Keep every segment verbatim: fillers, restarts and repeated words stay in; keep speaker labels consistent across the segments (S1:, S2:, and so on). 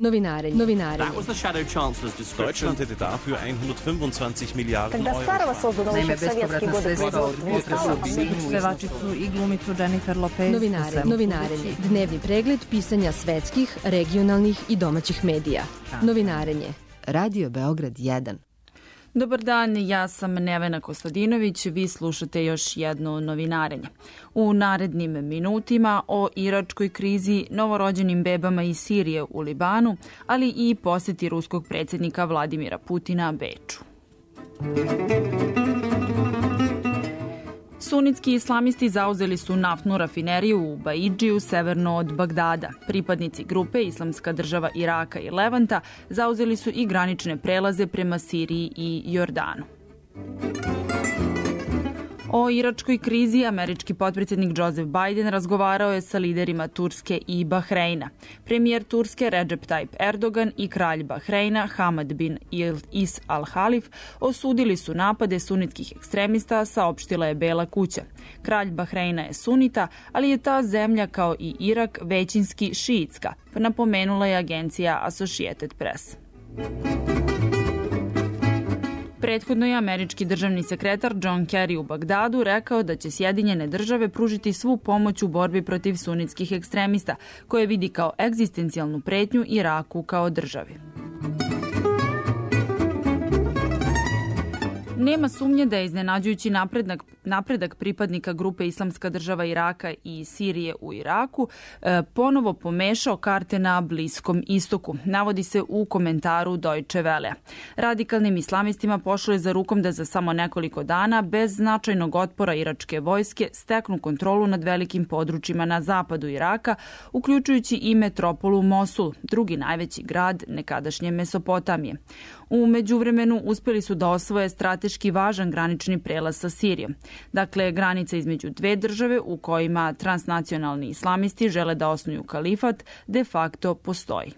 S1: Novinarenje. Novinarenje.
S2: Deutschland hätte dafür hundertfünfundzwanzig Milliarden Euro.
S3: Naime, bespovratna sredstva od Vuka pevačicu i glumicu Jennifer Lopez.
S1: Novinarenje. Novinarenje. Dnevni pregled pisanja svetskih, regionalnih i domaćih medija. Novinarenje. Radio Beograd jedan.
S4: Dobar dan, ja sam Nevena Kostadinović, vi slušate još jedno novinarenje. U narednim minutima o iračkoj krizi, novorođenim bebama iz Sirije u Libanu, ali i poseti ruskog predsjednika Vladimira Putina Beču. Sunitski islamisti zauzeli su naftnu rafineriju u Baidžiju, severno od Bagdada. Pripadnici grupe Islamska država Iraka i Levanta zauzeli su i granične prelaze prema Siriji i Jordanu. O iračkoj krizi američki potpredsjednik Joseph Biden razgovarao je sa liderima Turske i Bahreina. Premijer Turske Recep Tayyip Erdogan i kralj Bahreina Hamad bin Is Al Halif osudili su napade sunitskih ekstremista, saopštila je Bela kuća. Kralj Bahreina je sunita, ali je ta zemlja kao i Irak većinski šiitska, napomenula je agencija Associated Press. Prethodno je američki državni sekretar John Kerry u Bagdadu rekao da će Sjedinjene države pružiti svu pomoć u borbi protiv sunitskih ekstremista, koje vidi kao egzistencijalnu pretnju Iraku kao državi. Nema sumnje da je iznenađujući napredak, napredak pripadnika grupe Islamska država Iraka i Sirije u Iraku e, ponovo pomešao karte na Bliskom istoku, navodi se u komentaru Deutsche Welle. Radikalnim islamistima pošlo je za rukom da za samo nekoliko dana, bez značajnog otpora iračke vojske, steknu kontrolu nad velikim područjima na zapadu Iraka, uključujući i metropolu Mosul, drugi najveći grad nekadašnje Mesopotamije. U međuvremenu uspjeli su da osvoje strateški važan granični prelaz sa Sirijom. Dakle, granica između dve države u kojima transnacionalni islamisti žele da osnuju kalifat de facto postoji.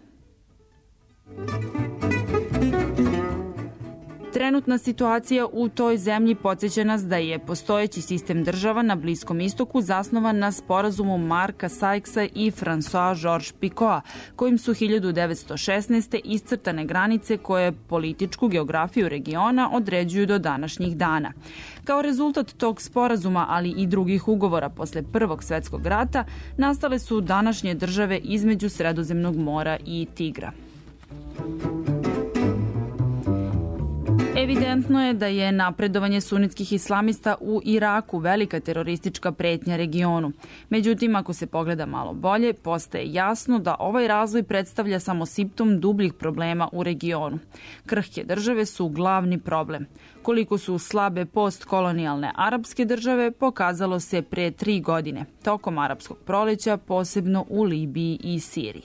S4: Trenutna situacija u toj zemlji podsjeća nas da je postojeći sistem država na Bliskom istoku zasnovan na sporazumu Marka Sykesa i François Georges Picoa, kojim su hiljadu devetsto šesnaeste. iscrtane granice koje političku geografiju regiona određuju do današnjih dana. Kao rezultat tog sporazuma, ali i drugih ugovora posle Prvog svjetskog rata, nastale su današnje države između Sredozemnog mora i Tigra. Evidentno je da je napredovanje sunitskih islamista u Iraku velika teroristička pretnja regionu. Međutim, ako se pogleda malo bolje, postaje jasno da ovaj razvoj predstavlja samo simptom dubljih problema u regionu. Krhke države su glavni problem. Koliko su slabe postkolonijalne arapske države pokazalo se pre tri godine, tokom arapskog proleća, posebno u Libiji i Siriji.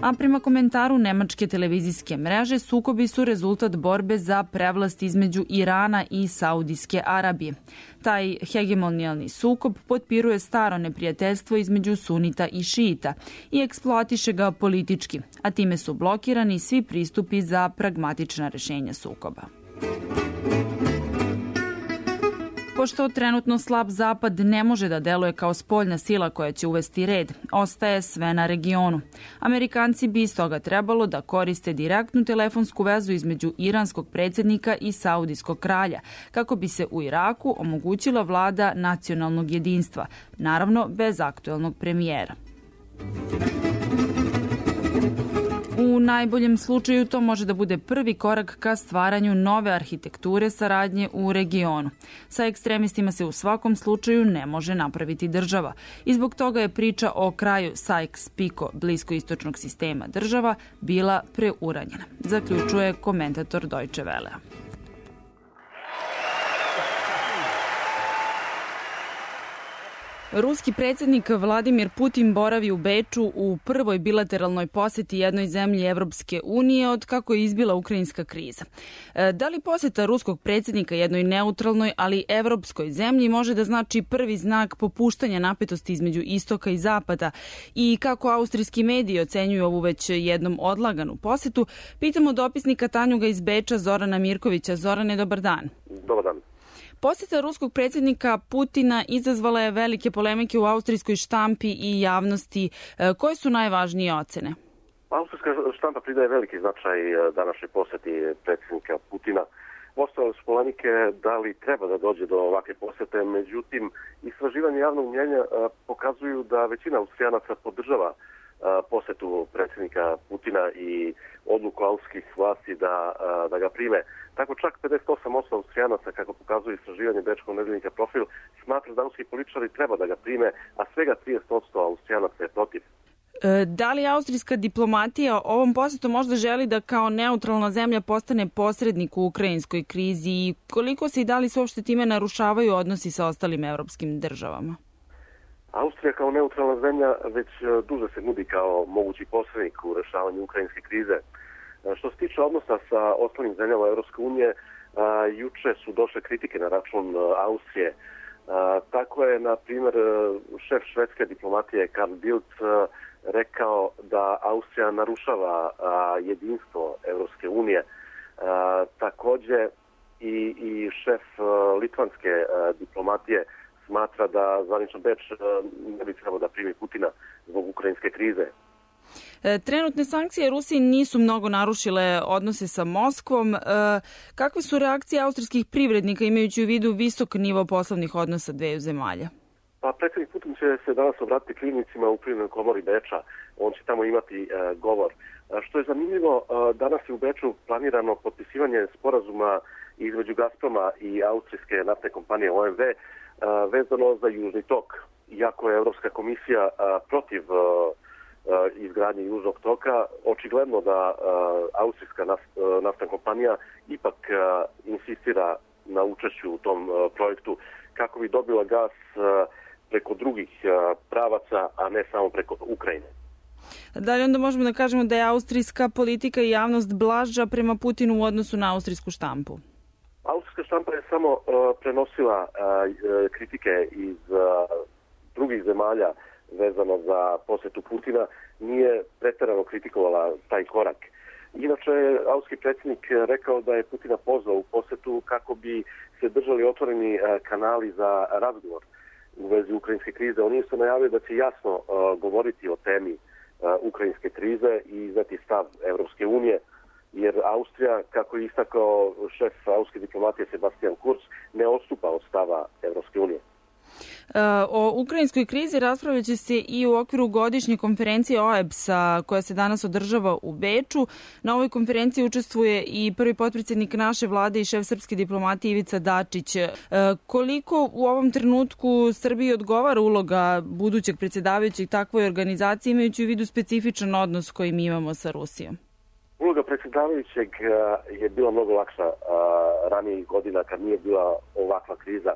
S4: A prema komentaru nemačke televizijske mreže, sukobi su rezultat borbe za prevlast između Irana i Saudijske Arabije. Taj hegemonijalni sukob potpiruje staro neprijateljstvo između sunita i šiita i eksploatiše ga politički, a time su blokirani svi pristupi za pragmatična rešenja sukoba. Pošto trenutno slab zapad ne može da deluje kao spoljna sila koja će uvesti red, ostaje sve na regionu. Amerikanci bi iz toga trebalo da koriste direktnu telefonsku vezu između iranskog predsjednika i saudijskog kralja, kako bi se u Iraku omogućila vlada nacionalnog jedinstva, naravno bez aktuelnog premijera. U najboljem slučaju to može da bude prvi korak ka stvaranju nove arhitekture saradnje u regionu. Sa ekstremistima se u svakom slučaju ne može napraviti država. I zbog toga je priča o kraju Sykes-Picot bliskoistočnog sistema država bila preuranjena, zaključuje komentator Deutsche Welle. Ruski predsjednik Vladimir Putin boravi u Beču u prvoj bilateralnoj posjeti jednoj zemlji Evropske unije od kako je izbila ukrajinska kriza. Da li posjeta ruskog predsjednika jednoj neutralnoj, ali evropskoj zemlji može da znači prvi znak popuštanja napetosti između istoka i zapada i kako austrijski mediji ocenjuju ovu već jednom odlaganu posjetu, pitamo dopisnika Tanjuga iz Beča Zorana Mirkovića. Zorane, dobar dan.
S5: Dobar dan.
S4: Posjeta ruskog predsjednika Putina izazvala je velike polemike u austrijskoj štampi i javnosti. Koje su najvažnije ocene?
S5: Austrijska štampa pridaje veliki značaj današnjoj posjeti predsjednika Putina. Ostale su polemike da li treba da dođe do ovakve posjete, međutim, istraživanje javnog mnjenja pokazuju da većina Austrijanaca podržava posjetu predsjednika Putina i odluku austrijskih vlasti da, da ga prime. Tako čak pedeset osam posto Austrijanaca, kako pokazuje istraživanje bečkog nedeljnika Profil, smatra da austrijski političari treba da ga prime, a svega trideset posto Austrijanaca je protiv.
S4: Da li austrijska diplomatija ovom posjetom možda želi da kao neutralna zemlja postane posrednik u ukrajinskoj krizi i koliko se i da li se uopšte time narušavaju odnosi sa ostalim evropskim državama?
S5: Austrija kao neutralna zemlja već duže se nudi kao mogući posrednik u rešavanju ukrajinske krize. Što se tiče odnosa sa ostalim zemljama Evropske unije, juče su došle kritike na račun Austrije. Tako je, na primjer, šef švedske diplomatije Carl Bildt rekao da Austrija narušava jedinstvo Evropske unije. Također i, i šef litvanske diplomatije smatra da zvanično Beč ne bi trebao da primi Putina zbog ukrajinske krize.
S4: Trenutne sankcije Rusiji nisu mnogo narušile odnose sa Moskvom. Kakve su reakcije austrijskih privrednika imajući u vidu visok nivo poslovnih odnosa dveju zemalja?
S5: Pa predsjednik Putin će se danas obratiti privrednicima u Privrednoj komori Beča. On će tamo imati e, govor. A što je zanimljivo, e, danas je u Beču planirano potpisivanje sporazuma između Gazproma i austrijske naftne kompanije O M V e, vezano za Južni tok. Iako je Evropska komisija e, protiv e, izgradnje Južnog toka, očigledno da uh, austrijska naft, uh, naftna kompanija ipak uh, insistira na učešću u tom uh, projektu kako bi dobila gas uh, preko drugih uh, pravaca, a ne samo preko Ukrajine.
S4: Da li onda možemo da kažemo da je austrijska politika i javnost blaža prema Putinu u odnosu na austrijsku štampu?
S5: Austrijska štampa je samo uh, prenosila uh, kritike iz uh, drugih zemalja vezano za posjetu Putina, nije pretjerano kritikovala taj korak. Inače, austrijski predsjednik rekao da je Putina pozvao u posjetu kako bi se držali otvoreni kanali za razgovor u vezi ukrajinske krize. On je isto najavio da će jasno uh, govoriti o temi uh, ukrajinske krize i izneti stav Evropske unije, jer Austrija, kako je istakao šef austrijske diplomatije Sebastian Kurz, ne odstupa od stava Evropske unije.
S4: O ukrajinskoj krizi raspravljat će se i u okviru godišnje konferencije O E B S-a koja se danas održava u Beču. Na ovoj konferenciji učestvuje i prvi potpredsjednik naše vlade i šef srpske diplomatije Ivica Dačić. Koliko u ovom trenutku Srbiji odgovara uloga budućeg predsjedavajućeg takvoj organizaciji imajući u vidu specifičan odnos koji mi imamo sa Rusijom?
S5: Uloga predsjedavajućeg je bila mnogo lakša ranijih godina kad nije bila ovakva kriza.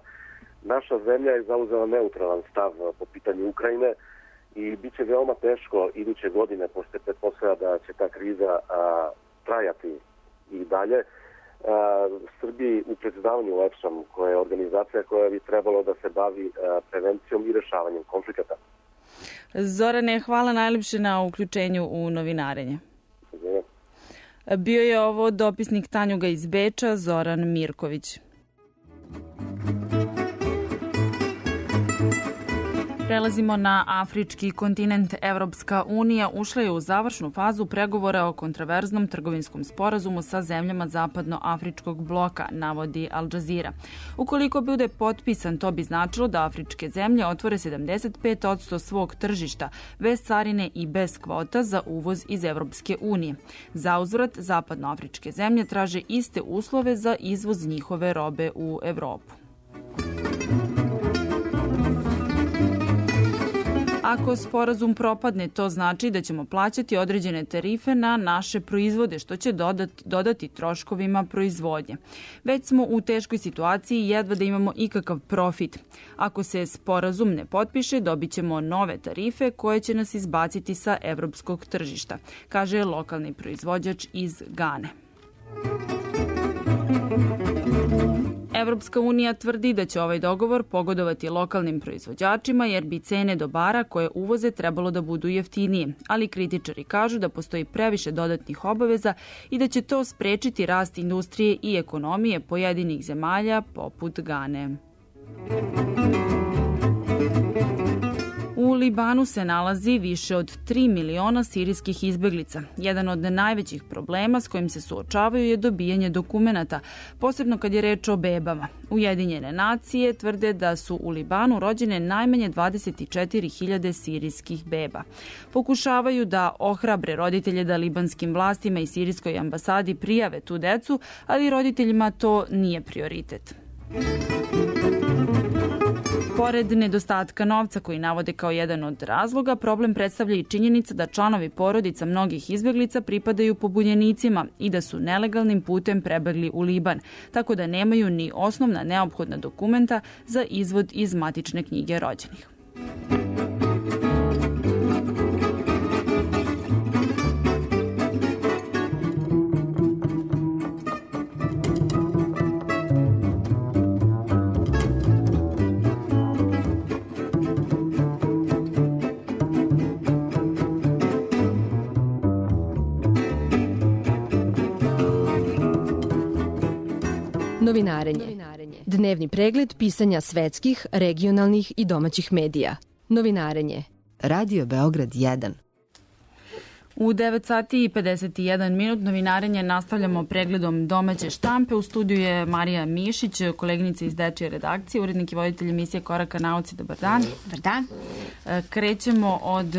S5: Naša zemlja je zauzela neutralan stav po pitanju Ukrajine i bit će veoma teško iduće godine, pošto se pretpostavlja da će ta kriza a, trajati i dalje. A, Srbiji u predsjedavanju O E B S-om, koja je organizacija koja bi trebalo da se bavi a, prevencijom i rešavanjem konflikata.
S4: Zorane, hvala najljepše na uključenju u novinarenje. Bio je ovo dopisnik Tanjuga iz Beča, Zoran Mirković. Prelazimo na afrički kontinent. Evropska unija ušla je u završnu fazu pregovora o kontraverznom trgovinskom sporazumu sa zemljama zapadnoafričkog bloka, navodi Al Jazeera. Ukoliko bude potpisan, to bi značilo da afričke zemlje otvore sedamdeset pet posto svog tržišta, bez carine i bez kvota za uvoz iz Evropske unije. Za uzvrat, zapadnoafričke zemlje traže iste uslove za izvoz njihove robe u Evropu. Ako sporazum propadne, to znači da ćemo plaćati određene tarife na naše proizvode, što će dodati, dodati troškovima proizvodnje. Već smo u teškoj situaciji i jedva da imamo ikakav profit. Ako se sporazum ne potpiše, dobit ćemo nove tarife koje će nas izbaciti sa evropskog tržišta, kaže lokalni proizvođač iz Gane. Evropska unija tvrdi da će ovaj dogovor pogodovati lokalnim proizvođačima jer bi cene dobara koje uvoze trebalo da budu jeftinije, ali kritičari kažu da postoji previše dodatnih obaveza i da će to sprečiti rast industrije i ekonomije pojedinih zemalja poput Gane. U Libanu se nalazi više od tri miliona sirijskih izbeglica. Jedan od najvećih problema s kojim se suočavaju je dobijanje dokumenata, posebno kad je reč o bebama. Ujedinjene nacije tvrde da su u Libanu rođene najmanje dvadeset četiri hiljade sirijskih beba. Pokušavaju da ohrabre roditelje da libanskim vlastima i sirijskoj ambasadi prijave tu decu, ali roditeljima to nije prioritet. Pored nedostatka novca koji navode kao jedan od razloga, problem predstavlja i činjenica da članovi porodica mnogih izbeglica pripadaju pobunjenicima i da su nelegalnim putem prebegli u Liban, tako da nemaju ni osnovna neophodna dokumenta za izvod iz matične knjige rođenih.
S1: Novinarenje. Dnevni pregled pisanja svetskih, regionalnih i domaćih medija. Novinarenje. Radio Beograd jedan.
S4: U devet sati i pedeset jedan minut novinarenje nastavljamo pregledom domaće štampe. U studiju je Marija Mišić, koleginica iz dečije redakcije, urednik i voditelj emisije Koraka nauci. Dobar dan.
S6: Dobar dan.
S4: Krećemo od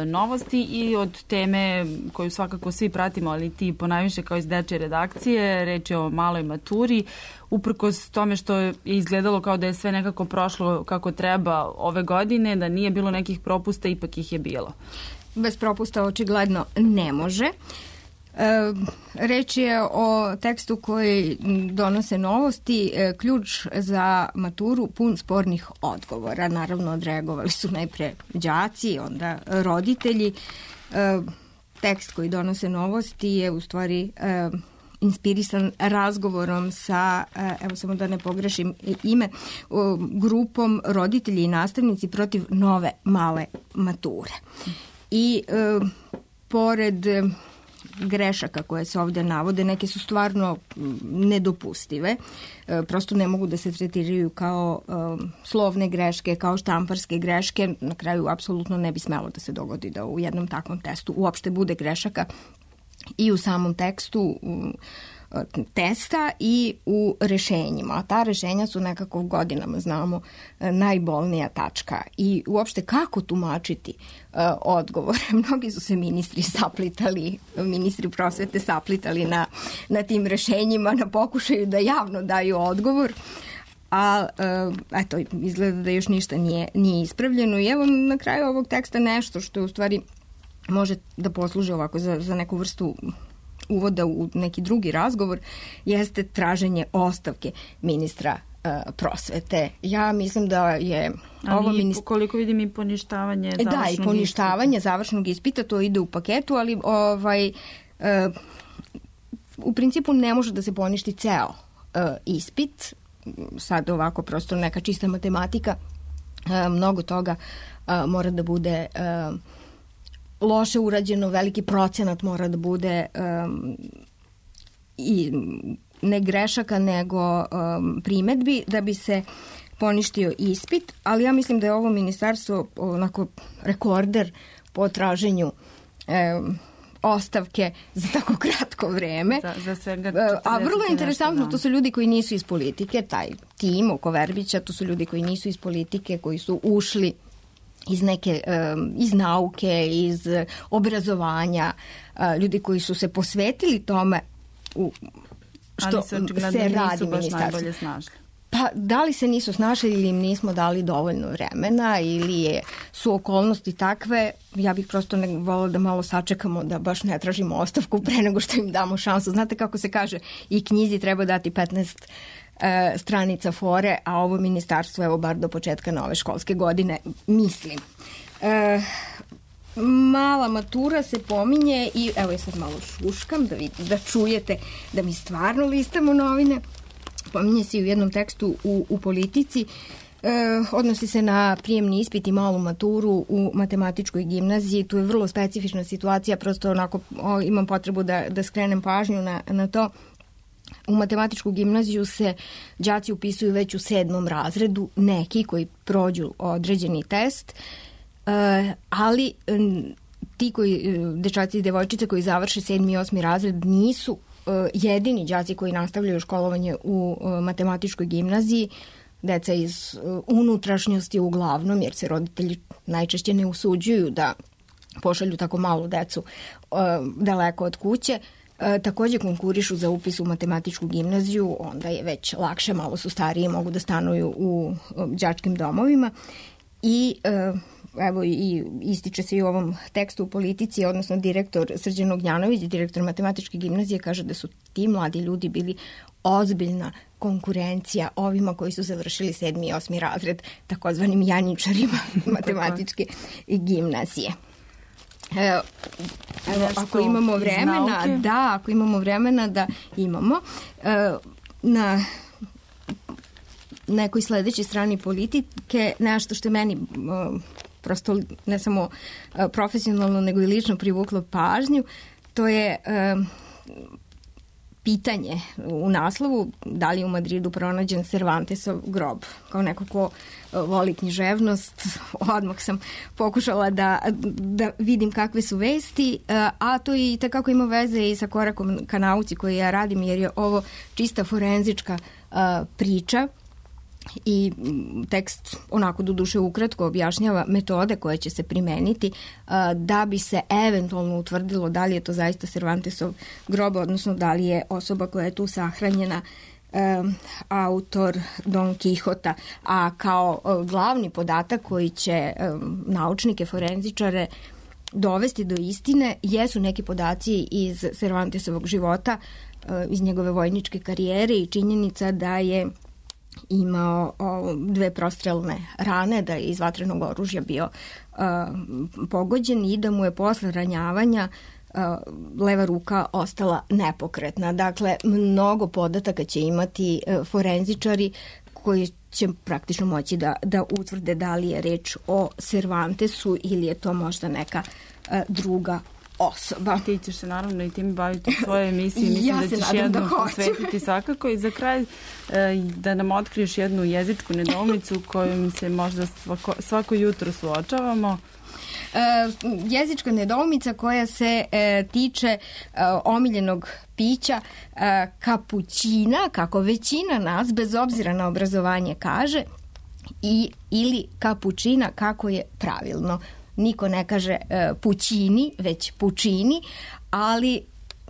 S4: novosti i od teme koju svakako svi pratimo, ali ti ponajviše kao iz dečije redakcije. Reč je o maloj maturi. Uprkos tome što je izgledalo kao da je sve nekako prošlo kako treba ove godine, da nije bilo nekih propusta, ipak ih je bilo.
S6: Bez propusta očigledno ne može. E, reč je o tekstu koji donose novosti, e, ključ za maturu pun spornih odgovora. Naravno, odreagovali su najpre đaci, onda roditelji. E, tekst koji donose novosti je u stvari e, inspirisan razgovorom sa, evo samo da ne pogrešim ime, grupom roditelji i nastavnici protiv nove male mature. I e, pored grešaka koje se ovdje navode, neke su stvarno nedopustive, e, prosto ne mogu da se tretiraju kao e, slovne greške, kao štamparske greške. Na kraju apsolutno ne bi smelo da se dogodi da u jednom takvom testu uopšte bude grešaka i u samom tekstu testa i u rešenjima. A ta rešenja su nekako godinama, znamo, najbolnija tačka. I uopšte kako tumačiti uh, odgovore? Mnogi su se ministri saplitali, ministri prosvete saplitali na, na tim rešenjima, na pokušaju da javno daju odgovor. A uh, eto, izgleda da još ništa nije, nije ispravljeno. I evo na kraju ovog teksta nešto što u stvari može da posluži ovako za, za neku vrstu uvoda u neki drugi razgovor, jeste traženje ostavke ministra uh, prosvete. Ja mislim da je
S4: A
S6: ovo
S4: mi,
S6: ministar...
S4: koliko vidim i poništavanje završnog ispita.
S6: Da, i poništavanje ispita. završnog ispita, to ide u paketu, ali ovaj, uh, u principu ne može da se poništi ceo uh, ispit. Sad ovako prosto neka čista matematika, uh, mnogo toga uh, mora da bude... Uh, loše urađeno, veliki procenat mora da bude um, i ne grešaka nego um, primetbi da bi se poništio ispit, ali ja mislim da je ovo ministarstvo onako rekorder po traženju um, ostavke za tako kratko vreme.
S4: Za, za svega
S6: A vrlo interesantno, to su ljudi koji nisu iz politike, taj tim oko Verbića, to su ljudi koji nisu iz politike, koji su ušli iz neke, iz nauke, iz obrazovanja, ljudi koji su se posvetili tome u što se, se radi ministarstvo. Pa da li se nisu snašli ili im nismo dali dovoljno vremena ili je, su okolnosti takve, ja bih prosto ne volila da malo sačekamo da baš ne tražimo ostavku pre nego što im damo šansu. Znate kako se kaže, i knjizi treba dati petnaest e, stranica fore, a ovo ministarstvo evo bar do početka nove školske godine, mislim. E, mala matura se pominje i evo ja sad malo šuškam da, vidite, da čujete da mi stvarno listamo novine. pominje se i u jednom tekstu u, u Politici. E, odnosi se na prijemni ispit i malu maturu u matematičkoj gimnaziji. Tu je vrlo specifična situacija, prosto onako o, imam potrebu da, da skrenem pažnju na, na to. U matematičku gimnaziju se đaci upisuju već u sedmom razredu, neki koji prođu određeni test, e, ali ti koji, dečaci i devojčice koji završe sedmi i osmi razred nisu e, jedini đaci koji nastavljaju školovanje u e, matematičkoj gimnaziji. Deca iz uh, unutrašnjosti uglavnom, jer se roditelji najčešće ne usuđuju da pošalju tako malu decu uh, daleko od kuće, uh, takođe konkurišu za upis u matematičku gimnaziju, onda je već lakše, malo su stariji, mogu da stanuju u uh, đačkim domovima i uh, evo i ističe se i u ovom tekstu u Politici, odnosno direktor Srđan Ognjanović, direktor matematičke gimnazije, kaže da su ti mladi ljudi bili ozbiljna konkurencija ovima koji su završili sedmi i osmi razred, takozvanim janjičarima matematičke gimnazije. Evo, evo ako imamo vremena, da, ako imamo vremena da imamo, na nekoj sledećoj strani Politike nešto što je meni prosto ne samo profesionalno nego i lično privuklo pažnju, to je pitanje u naslovu da li je u Madridu pronađen Cervantesov grob. Kao neko ko voli književnost, odmah sam pokušala da, da vidim kakve su vesti, a to i takako ima veze i sa korakom ka nauci koji ja radim, jer je ovo čista forenzička priča i tekst onako do duše ukratko objašnjava metode koje će se primeniti da bi se eventualno utvrdilo da li je to zaista Cervantesov grob, odnosno da li je osoba koja je tu sahranjena um, autor Don Quixota. A kao glavni podatak koji će um, naučnike, forenzičare dovesti do istine jesu neki podaci iz Cervantesovog života, uh, iz njegove vojničke karijere i činjenica da je imao o, dve prostrelne rane, da je iz vatrenog oružja bio uh, pogođen i da mu je posle ranjavanja uh, leva ruka ostala nepokretna. Dakle, mnogo podataka će imati uh, forenzičari koji će praktično moći da, da utvrde da li je reč o Cervantesu ili je to možda neka uh, druga osoba.
S4: Ti ćeš se naravno i tim baviti u svojoj emisiji. Mislim ja da ćeš jednu da posvetiti svakako. I za kraj da nam otkriješ jednu jezičku nedoumicu kojom se možda svako, svako jutro suočavamo.
S6: E, jezička nedoumica koja se e, tiče e, omiljenog pića e, kapućina, kako većina nas, bez obzira na obrazovanje, kaže, i, ili kapućina, kako je pravilno. Niko ne kaže e, pućini, već pučini, ali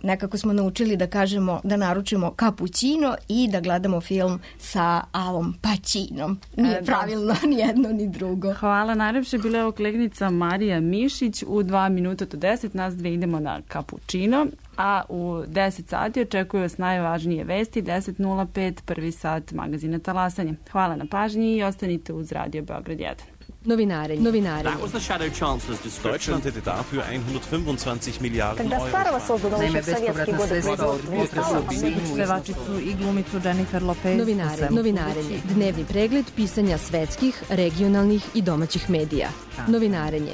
S6: nekako smo naučili da kažemo, da naručimo kapućino i da gledamo film sa Alom Pacinom. Nije e, pravilno ni jedno ni drugo.
S4: Hvala najlepše. Bila je ovo koleginica Marija Mišić. U dva minuta do deset nas dve idemo na kapućino, a u deset sati očekuju vas najvažnije vesti. deset nula pet, prvi sat magazina Talasanje. Hvala na pažnji i ostanite uz Radio Beograd jedan.
S1: Novinarenje. Novinarenje.
S2: That was the Shadow Chancellor's description. Deutschland hätte dafür hundertfünfundzwanzig Milliarden Euro.
S3: Naime, bespovratna sredstva od pevačicu i glumicu Jennifer Lopez.
S1: Novinarenje. Novinarenje. Dnevni pregled pisanja svetskih, regionalnih i domaćih medija. Novinarenje.